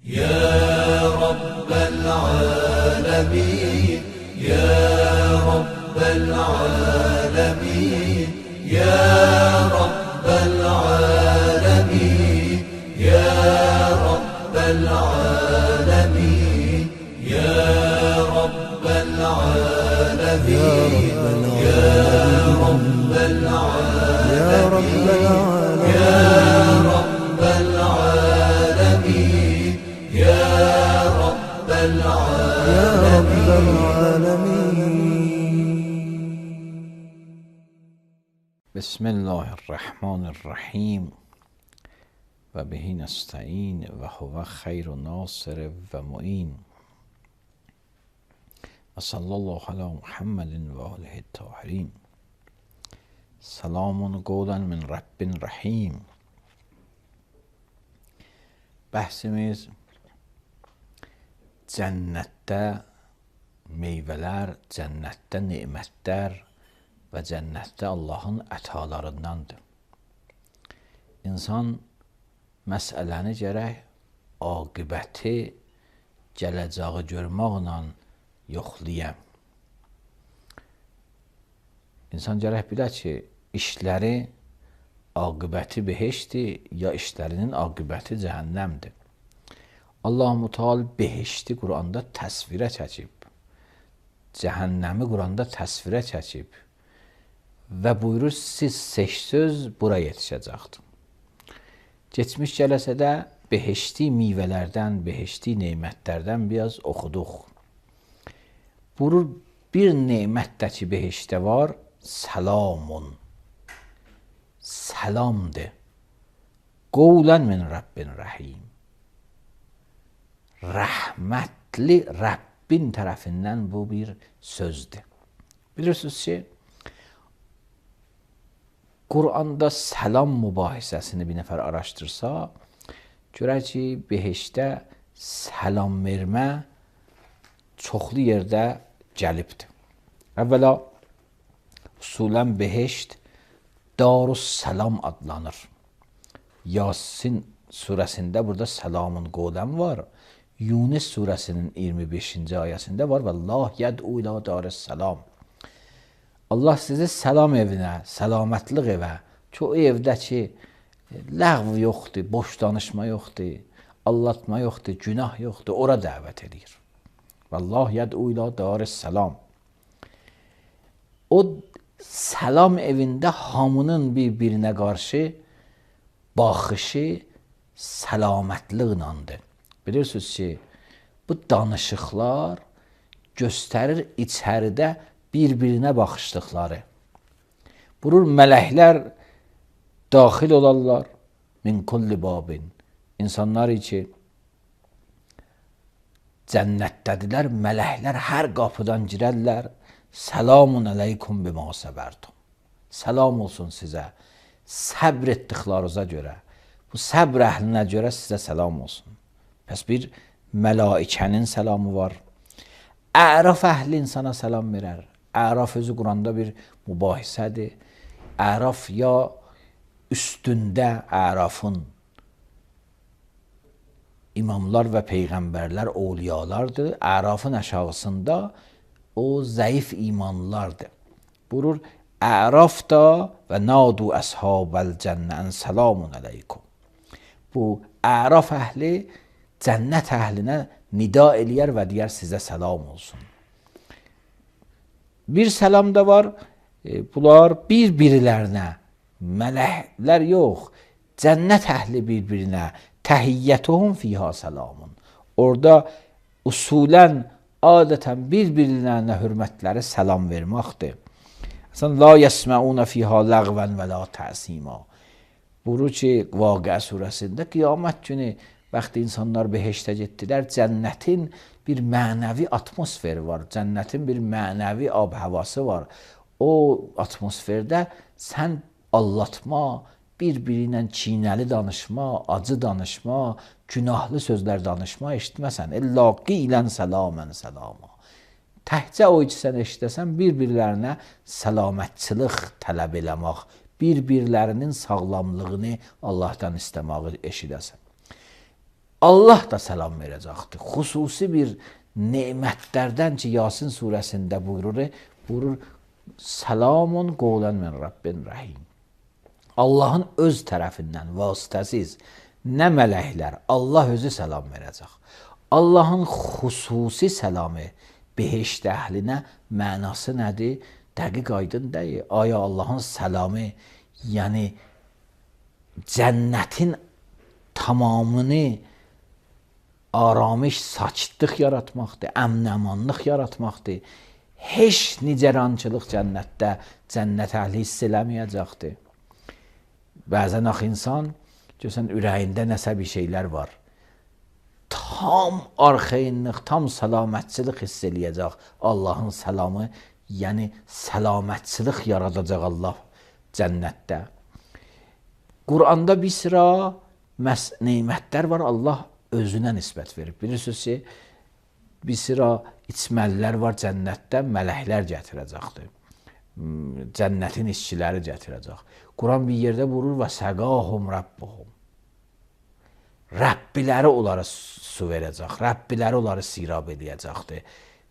يا رب العالمين يا رب العالمين يا رب العالمين يا رب العالمين يا رب العالمين يا رب العالمين يا رب العالمين يا رب العالمين. بسم الله الرحمن الرحیم و بهی نستعین و هو خیر ناصر و معین و صلی الله علی محمد و آله الطاهرین. سلام قولا من رب رحیم. Bəhsimiz cənnətdə meyvələr, cənnətdə nemətlər və cənnətdə Allahın ətalarındandır. İnsan məsələni gərək aqibəti gələcəyi görməklə yoxlayam. İnsan gərək bilə ki, işləri aqibəti behişdir, ya işlərinin aqibəti cəhənnəmdir. Allah-u Teala behişti Quranda təsvirə çəkib, cəhənnəmi Quranda təsvirə çəkib və buyurur, siz seçsöz bura yetişəcəkdir. Geçmiş cələsədə behişti meyvələrdən, behişti nemətlərdən biraz oxuduq. Buyurur, bir nemətdəki behişdə var, salamun. Salamdır. Qovlən min Rabbin rəhim. Rəhmətli Rəbbin tərəfindən bu bir sözdür. Bilirsiniz ki, Quranda salam mübahisəsini bir nəfər araşdırsa, görər ki, behişdə salam vermə çoxlu yerdə gəlibdir. Əvvəla, usulən behişt Darussalam adlanır. Yasin surəsində burada salamun qovlən var. Yunus surəsinin 25-ci ayəsində var. Vallah yəd'u ilə darussalam. Allah sizi salam evinə, salamətlıq evə, ki o evdə ki, ləğv yoxdur, boş danışma yoxdur, allatma yoxdur, günah yoxdur, ora dəvət edir. Vallah yəd'u ilə darussalam. O salam evində hamının bir-birinə qarşı baxışı səlamətliqlandır. Bilirsiniz ki, bu danışıqlar göstərir içəridə bir-birinə baxışdıqları. Buyurur, mələklər daxil olarlar min kulli babin. İnsanlar ki, cənnətdədirlər, mələklər hər qapıdan girərlər. Selamun aleykum bima səbərtum. Salam olsun sizə. Səbr etdiklarınıza görə. Bu səbr əhlinə görə sizə salam olsun. Pəs bir mələikənin salamı var. Əraf əhli insana salam verər. Əraf özü Quranda bir mübahisədir. Əraf ya üstündə ərafın imamlar və peyğəmbərlər, ovliyalardır. Ərafın aşağısında o zəif imanlılardır. Buyurur, Əraf da və nadu əshabəl cənnən salamun aleykum. Bu, Əraf əhli cənnət əhlinə nida eləyər və deyər sizə salam olsun. Bir salam da var, bunlar bir-birilərinə, mələklər yox, cənnət əhli bir-birinə, təhiyyətuhum fiyha salamun. Orada usulən adətən bir-birlərinə hörmətləri salam verməkdir. La yəsməunə fiyha ləğvən və la təsima. Buyurur ki, Vaqia surəsində qiyamət günü vaxtı insanlar behiştə getdilər, cənnətin bir mənəvi atmosferi var, cənnətin bir mənəvi ab-havası var. O atmosferdə sən allatma, bir-biri ilə çiynəli danışma, acı danışma, günahlı sözlər danışma eşitməsən. İlla qilən səlamən səlama. Təhcə o ki, sən eşitəsən, bir-birlərinə səlamətçılıq tələb eləmək, bir-birlərinin sağlamlığını Allahdan istəməyi eşidəsən. Allah da salam verəcəkdir. Xüsusi bir nemətlərdən ki, Yasin surəsində buyurur, salamun qovlan min Rabbin Rahim. Allahın öz tərəfindən vasitəsiz nə mələklər, Allah özü salam verəcək. Allahın xüsusi salamı behişt əhlinə mənası nədir? Dəqiq aydın deyil. Aya Allahın salamı, yəni cənnətin tamamını aramış, sakitlik yaratmaqdır, əmn-əmanlıq yaratmaqdır. Heç nicerançılıq cənnətdə cənnət əhli hiss eləməyəcəkdir. Bəzən axı insan görsən ürəyində nəsə bir şeylər var. Tam arxayınlıq, tam səlamətçilik hiss eləyəcək. Allahın salamı, yəni səlamətçilik yaradacaq Allah cənnətdə. Quranda bir sıra nemətlər var, Allah özünə nisbət verib. Bilirsiniz ki, bir sıra içməlilər var cənnətdə, mələklər gətirəcəkdir. Cənnətin işçiləri gətirəcək. Quran bir yerdə vurur və səqahum Rabbuhum. Rəbbiləri onlara su verəcək, Rəbbiləri onları sirab edəcəkdir.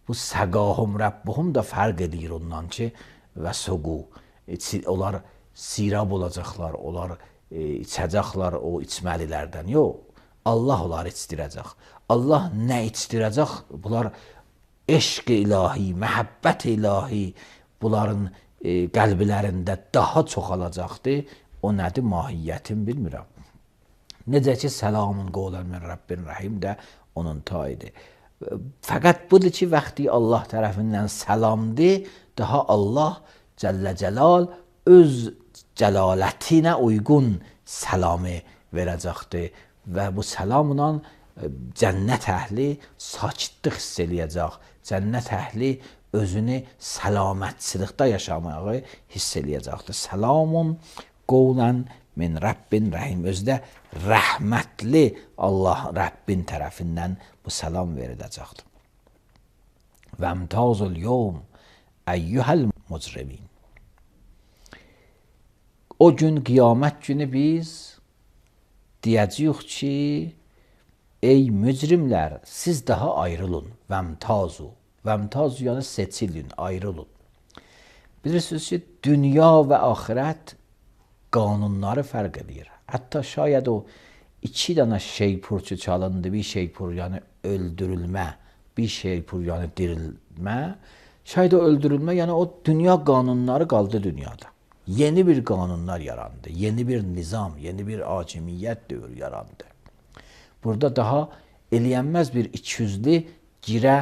Bu səqahum Rabbuhum da fərq edir ondan ki, və suqu. Onlar sirab olacaqlar, onlar içəcəklər o içməlilərdən. Yox, Allah onları içdirəcək. Allah nə içdirəcək? Bunlar eşq ilahi, məhəbbət ilahi bunların qəlblərində daha çoxalacaqdır. O nədir? Mahiyyətin bilmirəm. Necə ki, səlamun qovlan min Rabbin Rahim də onun tayıdır. Fəqət budur ki, vaxtı Allah tərəfindən salamdır, daha Allah Cəllə Cəlal öz cəlalətinə uyğun salamı verəcəkdir və bu salamla cənnət əhli sakitlik hiss eləyəcək. Cənnət əhli özünü səlamətçilikdə yaşamağı hiss eləyəcəkdir. Salamun qovlan min Rabbin Rahim. Özdə rəhmətli Allah Rəbbin tərəfindən bu salam veriləcəkdir. Və əmtazul yevm əyyuhəl mucrimin. O gün, qiyamət günü biz deyəcəyik ki, ey mücrimlər, siz daha ayrılın. Vəmtazu. Vəmtazu yəni seçilin, ayrılın. Bilirsiniz ki, dünya və axirət qanunları fərq edir. Hətta şayad o 2 dənə şeypur ki çalındı, bir şeypur yəni öldürülmə, bir şeypur yəni dirilmə, şayad o öldürülmə, yəni o dünya qanunları qaldı dünyada. Yeni bir qanunlar yarandı, yeni bir nizam, yeni bir hakimiyyət dövrü yarandı. Burada daha eləyənməz bir ikiyüzlü girə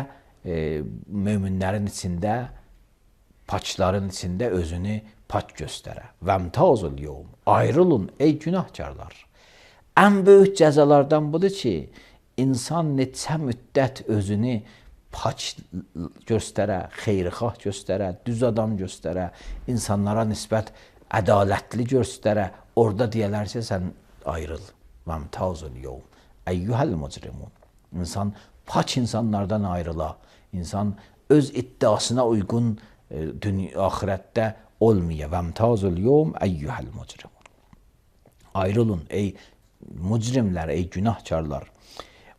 möminlərin içində, paçların içində özünü paç göstərə. Vəmtazul yevm. Ayrılın ey günahkarlar. Ən böyük cəzalardan budur ki, insan neçə müddət özünü paç göstərə, xeyrixah göstərə, düz adam göstərə, insanlara nisbət ədalətli göstərə, orada deyələr ki, sən ayrıl. Vəmtazul yevm. Əyyuhəl mucrimun. İnsan paç insanlardan ayrıla. İnsan öz iddiasına uyğun axirətdə olmaya. Vəmtazul yevm əyyuhəl mucrimun. Ayrılın ey mücrimlər, ey günahkarlar.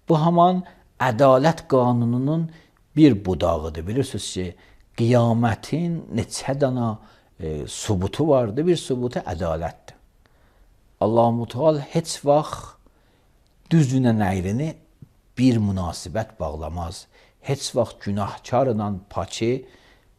Bu haman ədalət qanununun bir budağıdır. Bilirsiniz ki, qiyamətin neçə dana subutu vardır. Bir subutu ədalətdir. Allah-u Teala heç vaxt düzünə nəyrini bir münasibət bağlamaz. Heç vaxt günahkarla paçı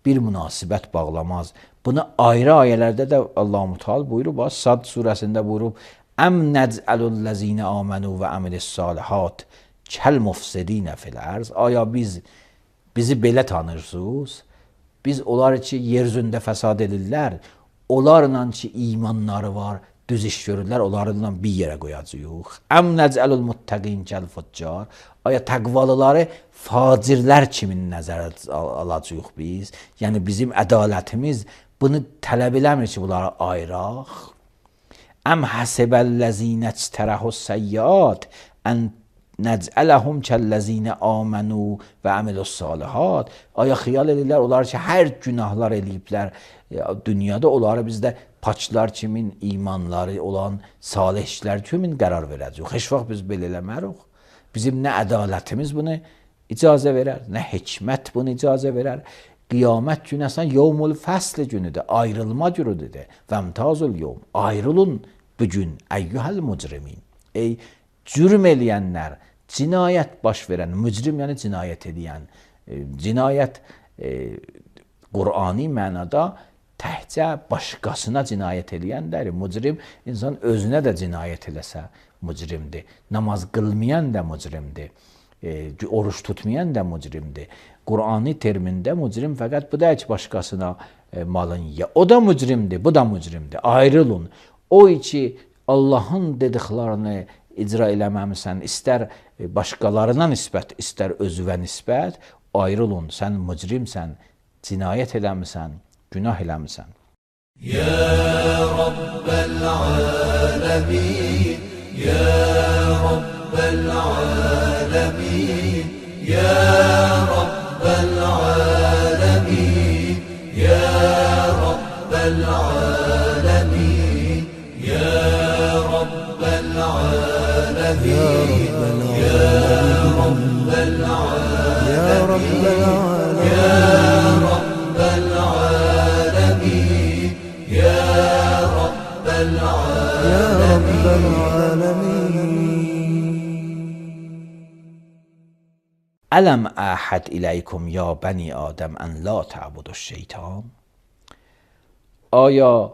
bir münasibət bağlamaz. Bunu ayrı ayələrdə də Allah-u Teala buyurub. Sad surəsində buyurub, Əm nəcəlullezine amenu və əmilis-salihat kəl-mufsidinə fil-ərz. Aya bizi belə tanırsınız? Biz onlar ki, yer üzündə fəsad edirlər, onlarla ki, imanları var, düz iş görürlər, onlarla bir yerə qoyacağıq. Əm nəcəlul muttəqin kəl-fuccar. Aya təqvalıları facirlər kimin nəzərə alacağıq biz? Yəni bizim ədalətimiz bunu tələb eləmir ki, bunları ayıraq. Əm həsibəl-ləzinə ctərəhus-səyyat ən nəcələhum kəlləzinə amenu və əmilus-salihat. Aya xiyal edirlər, onlar ki, hər günahlar eləyiblər dünyada, onları bizdə paçlar kimin imanları olan salih işlər kimin qərar verəcək. Heç vaxt biz belə eləmərik. Bizim nə ədalətimiz bunu icazə verər, nə hikmət bunu icazə verər. Qiyamət günü əslən yevmul fəsl günüdür, ayrılma günüdür. Vəmtazul yevm, ayrılın bugün əyyuhəl mücrimin. Ey cürm eləyənlər, cinayət baş verən, mücrim yəni cinayət edən, cinayət Qur'ani mənada təhcə başqasına cinayət eləyəndir. Mücrim insan özünə də cinayət eləsə mücrimdir. Namaz qılmayan da mücrimdir. Oruç tutmayan da mücrimdir. Qur'ani termində mücrim fəqət bu da heç başqasına malın yiyə. O da mücrimdir, bu da mücrimdir. Ayrılın. O ki Allahın dediklərini icra eləməmisən, istər başqalarına nisbət, istər özüvə nisbət, ayrılın. Sən mücrimsən, cinayət eləmisən, günah eləmisən. Ya Rabbel alemin, Ya Rabbel alemin, Ya Rabbel alemin, Ya Rabbel alemin, Ya Rabbel alemin, Ya Rabbel alemin, Ya Rabbel alemin, Ya Rabbel alemin, Ya Rabbel alemin. Ələm əhəd iləykum ya bəni Adəm ən la tə'budu şeytan. Aya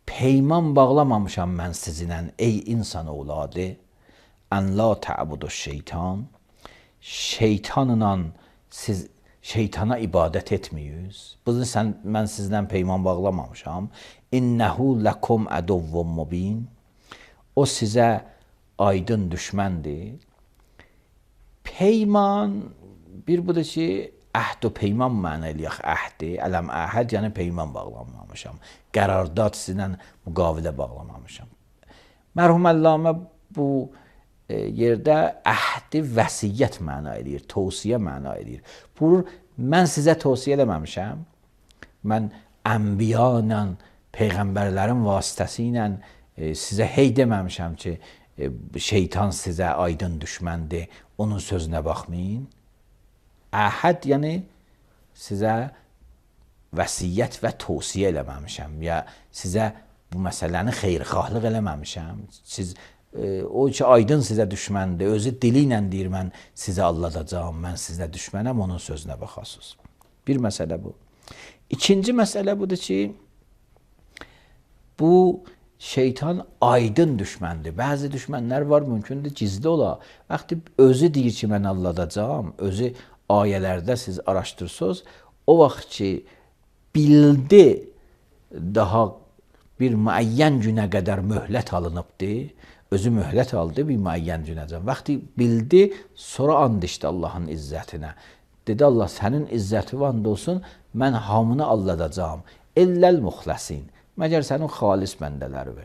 peyman bağlamamışam mən sizinlə ey insan oğladı. Ən la tə'budu şeytan. Şeytanla siz şeytana ibadət etməyiz. Bunu mən sizdən peyman bağlamamışam. İnnehu lekum aduvvun mubin. O sizə aydın düşməndir. Peyman bir budur ki, əhd və peyman məna eləyək əhdi. Ələm əhəd yəni peyman bağlamamışam. Qərardad sizinlə müqavilə bağlamamışam. Mərhum Əllamə bu yerdə əhdi vəsiyyət məna eləyir, tövsiyə məna eləyir. Bu, mən sizə tövsiyə eləməmişəm. Mən ənbiya ilə, peyğəmbərlərin vasitəsi ilə sizə hey deməmişəm ki, şeytan sizə aydın düşməndir, onun sözünə baxmayın. Əhəd yəni sizə vəsiyyət və tövsiyə eləməmişəm ya sizə bu məsələni xeyirxahlıq eləməmişəm. Siz o ki aydın sizə düşməndir, özü dili ilə deyir mən sizə alladacağım, mən sizə düşmənəm, onun sözünə baxasınız. Bir məsələ bu. İkinci məsələ budur ki, bu şeytan aydın düşməndir. Bəzi düşmənlər var, mümkündür gizli ola. Vaxtı özü deyir ki, mən alladacağım, özü ayələrdə siz araşdırsınız, o vaxt ki, bildi daha bir müəyyən günə qədər möhlət alınıbdır, özü möhlət aldı bir müəyyən günəcən. Vaxtı bildi, sonra and içdi Allahın izzətinə. Dedi Allah, sənin izzəti and olsun, mən hamını alladacağım. Elləl muxləsin. Məgər sənin xalis bəndələridir.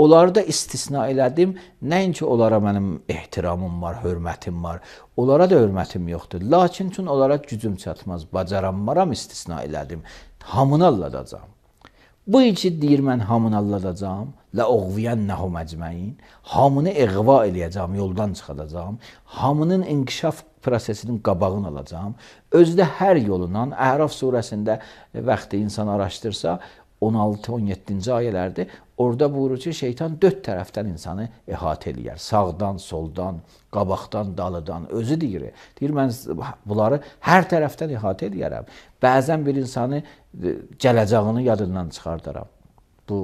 Onları da istisna elədim. Nəinki onlara mənim ehtiramım var, hörmətim var. Onlara da hörmətim yoxdur. Lakin üçün onlara gücüm çatmaz. Bacaranmaram istisna elədim. Hamını alladacağım. Bu iki deyir mən hamını alladacağım. Ləuğviyənnəhum əcməin. Hamını eğva eləyəcəm, yoldan çıxadacağım. Hamının inkişaf prosesinin qabağını alacağım. Özdə hər yolundan, Əraf surəsində vaxtı insan araşdırsa, 16-17-ci ayələrdir. Orada buyurur ki, şeytan 4 tərəfdən insanı əhatə eləyər. Sağdan, soldan, qabaqdan, dalıdan. Özü deyir. Deyir, mən bunları hər tərəfdən əhatə eləyərəm. Bəzən bir insanı gələcəyini yadından çıxardaram. Bu,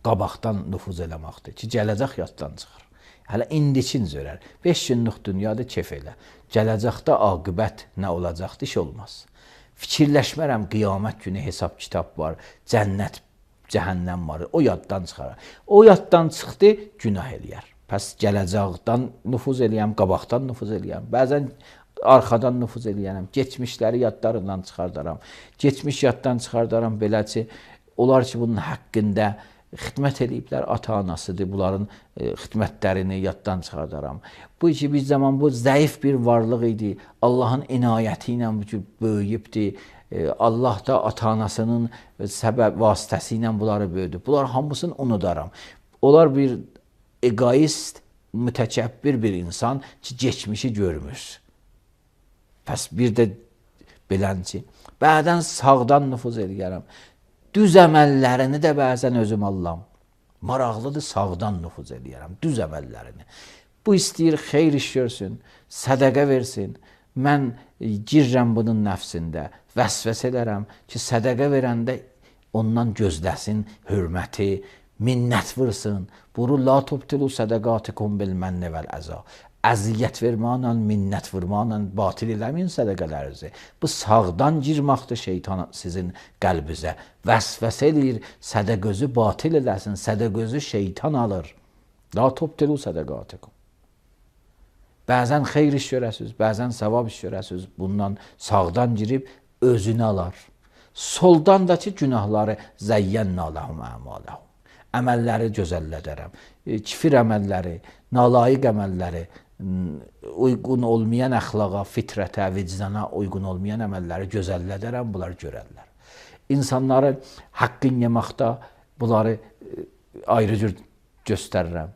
qabaqdan nüfuz eləməkdir ki, gələcək yaddan çıxır. Hələ indikin zörər. 5 günlük dünyada kef elə. Gələcəkdə aqibət nə olacaqdır, iş olmaz. Fikirləşmərəm, qiyamət günü hesab kitab var, cənnət, cəhənnəm var, o yaddan çıxar. O yaddan çıxdı, günah eləyər. Pəs gələcəkdən nüfuz eləyəm, qabaqdan nüfuz eləyəm, bəzən arxadan nüfuz eləyərəm, geçmişləri yadlarından çıxardaram. Geçmiş yaddan çıxardaram, beləci, onlar ki, bunun haqqında xidmət ediblər, ata-anasıdır, bunların xidmətlərini yaddan çıxardaram. Bu ki, bir zaman bu zəif bir varlıq idi, Allahın inayəti ilə böyüyübdir, Allah da ata-anasının səbəb vasitəsi ilə bunları böyüdü. Bunlar hamısını unudaram. Onlar bir egoist, mütəkəbbir bir insan ki, geçmişi görmür. Pəs bir də bilənci, bəzən sağdan nüfuz edərəm. Düz əməllərini də bəzən özüm allam. Maraqlıdır, sağdan nüfuz edərəm, düz əməllərini. Bu istəyir xeyir iş görsün, sədəqə versin. Mən girirəm bunun nəfsində, vəsvəsə edərəm ki, sədəqə verəndə ondan gözləsin hörməti, minnət vırsın. Buru la tubtilu sədəqatikum bil mənni vəl əza. Əziyyət vermanla, minnət vurmanla batil eləməyin sədəqələrinizi. Bu sağdan girməkdir şeytan sizin qəlbinizə. Vəsvəsə eləyir, sədəqözü batil eləsin, sədəqözü şeytan alır. La tubtilu sədəqatikum. Bəzən xeyir iş görəsiniz, bəzən savab iş görəsiniz. Bundan sağdan girib özünü alar. Soldan da ki, günahları zəyyənnə ləhum əmaləhum. Əməlləri gözəllədərəm. Kifir əməlləri, nalayiq əməlləri, uyğun olmayan əxlaqa, fitrətə, vicdana uyğun olmayan əməlləri gözəllədərəm, bunlar görərlər. İnsanları haqqın yeməkdə bunları ayrı cür göstərirəm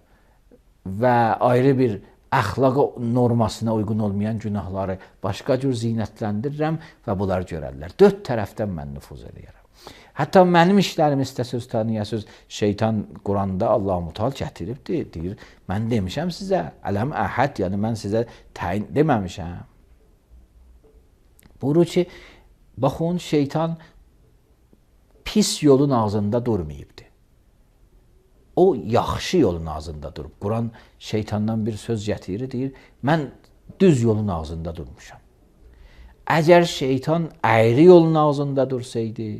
və ayrı bir əxlaqa normasına uyğun olmayan günahları başqa cür zinətləndirirəm və bunlar görərlər. Dörd tərəfdən mən nüfuz edirəm. Hətta mənim işlərimi istəsiz tanıyasız, şeytan Quranda Allah-u Teala gətiribdir, deyir, mən demişəm sizə, ələm əhəd, yəni mən sizə təyin deməmişəm. Buyurur ki, baxın, şeytan pis yolun ağzında durmayıbdır. O yaxşı yolun ağzında durub. Quran şeytandan bir söz gətirir, deyir, mən düz yolun ağzında durmuşam. Əgər şeytan əyri yolun ağzında dursaydı,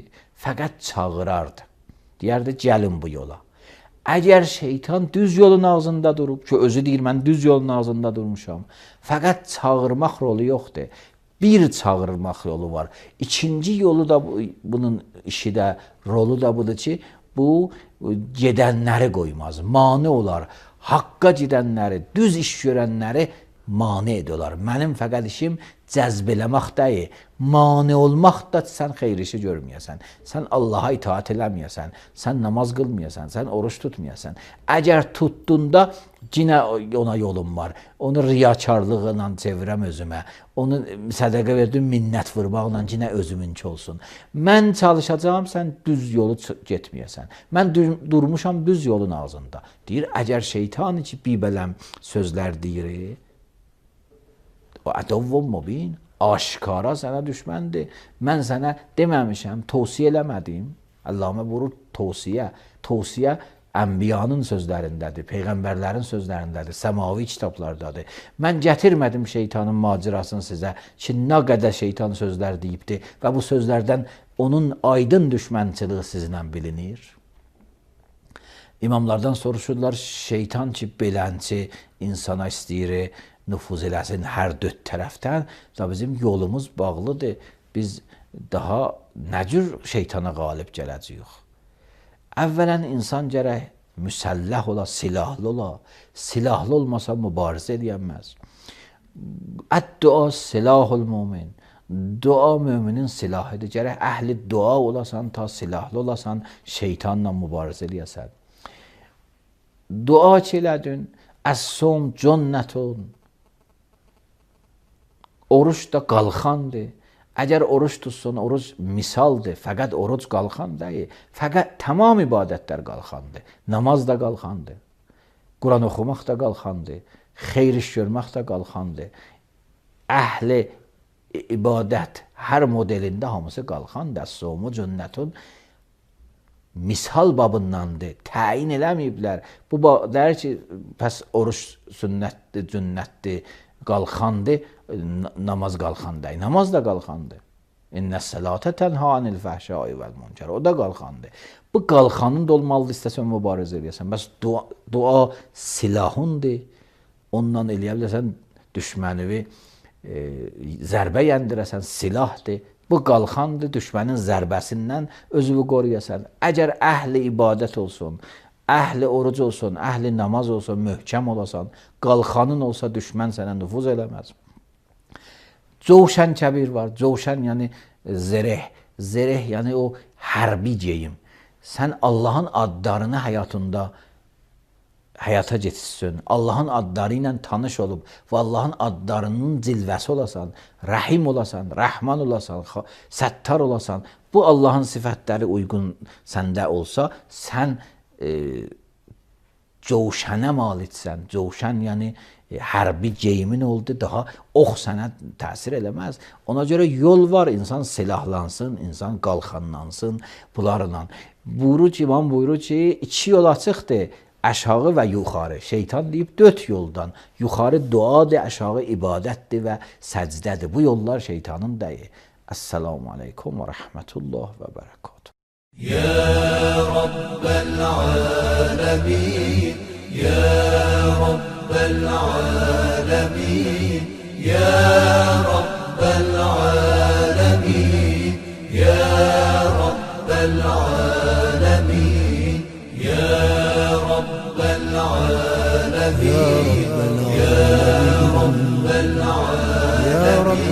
fəqət çağırardı. Deyərdi, gəlin bu yola. Əgər şeytan düz yolun ağzında durub, ki, özü deyir, mən düz yolun ağzında durmuşam, fəqət çağırmaq rolu yoxdur. Bir çağırmaq yolu var. İkinci yolu da, bunun işi də, rolu da budur ki, bu gedənləri qoymaz, mane olar. Haqqa gedənləri, düz iş görənləri mane ediyorlar. Mənim fəqət işim cəzb eləmək deyil, mane olmaq da sən xeyir işi görməyəsən, sən Allaha itaat eləməyəsən, sən namaz qılmayasan, sən oruç tutmayasan. Əgər tutdunda yenə ona yolum var, onu riyakarlıqla çevirəm özümə, onu sədəqə verdim minnət vurmaqla yenə özümünki olsun. Mən çalışacağım, sən düz yolu getməyəsən. Mən durmuşam düz yolun ağzında. Deyir, əgər şeytan ki, bibələm sözlər deyir, o ədovun mubin, aşkara sənə düşməndir. Mən sənə deməmişəm, tavsiyə eləmədim. Allahümə vurur tavsiyə. Tavsiyə ənbiyanın sözlərindədir, peyğəmbərlərin sözlərindədir, səmavi kitablardadır. Mən gətirmədim şeytanın macirasını sizə ki, nə qədər şeytan sözlər deyibdir və bu sözlərdən onun aydın düşmənçiliyi sizinlə bilinir. İmamlardan soruşurlar, şeytan ki, belənçi insana istəyir, nüfuz eləsin hər dörd tərəfdən da bizim yolumuz bağlıdır. Biz daha nə cür şeytana qalib gələcəyik? Əvvələn insan gərək müsəlləh ola, silahlı ola. Silahlı olmasa mübarizə edəməz. Əd-dua silahul mümin. Dua müminin silahıdır. Gərək əhli dua olasan, ta silahlı olasan, şeytanla mübarizə edəsən. Dua ki elədin, əs-sum cünnətun. Oruç da qalxandır. Əgər oruç tutsun, oruç misaldır. Fəqət oruç qalxan deyil. Fəqət tamam ibadətlər qalxandır. Namaz da qalxandır. Quran oxumaq da qalxandır. Xeyr iş görmək də qalxandır. Əhli ibadət hər modelində hamısı qalxandır. Əs-sumu cünnətun misal babındandır. Təyin eləməyiblər. Bu deyir ki, pəs oruç sünnətdir, cünnətdir, qalxandır. Namaz qalxandır. Namaz da qalxandır. İnnəs-sələtə tənhə anil fəhşai vəl münkər. O da qalxandır. Bu qalxanın da olmalıdır, istəsən mübarizə edəsən. Bəs dua silahundur. Ondan eləyə bilərsən, düşmənivi zərbə yendirəsən, silahdır. Bu qalxandır, düşmənin zərbəsindən özünü qoruyasan. Əgər əhli ibadət olsun, əhli oruc olsun, əhli namaz olsun, möhkəm olasan, qalxanın olsa düşmən sənə nüfuz eləməz. Covşən kəbir var. Covşən yəni zəreh. Zəreh yəni o hərbi geyim. Sən Allahın adlarını həyatında həyata keçsin. Allahın adları ilə tanış olub və Allahın adlarının cilvəsi olasan, Rəhim olasan, Rəhman olasan, Səttar olasan, bu Allahın sifətləri uyğun səndə olsa, sən cövşənə maliksən. Cövşən yəni hərbi geyimin oldu, daha ox sənə təsir eləməz. Ona görə yol var, insan silahlansın, insan qalxanlansın bunlarla. Buyurur ki, İmam buyurur ki, 2 yol açıqdır. Aşağı və yuxarı. Şeytan deyib 4 yoldan. Yuxarı duadır, aşağı ibadətdir və səcdədir. Bu yollar şeytanın deyil. Esselamu aleykum və rəhmətullah və bərəkatuhu. Ya Rabbel alemin, Ya Rabbel alemin, Ya Rabbel alemin, Ya Rabbel alemin, Ya Rabbel alemin, Ya Rabbel alemin.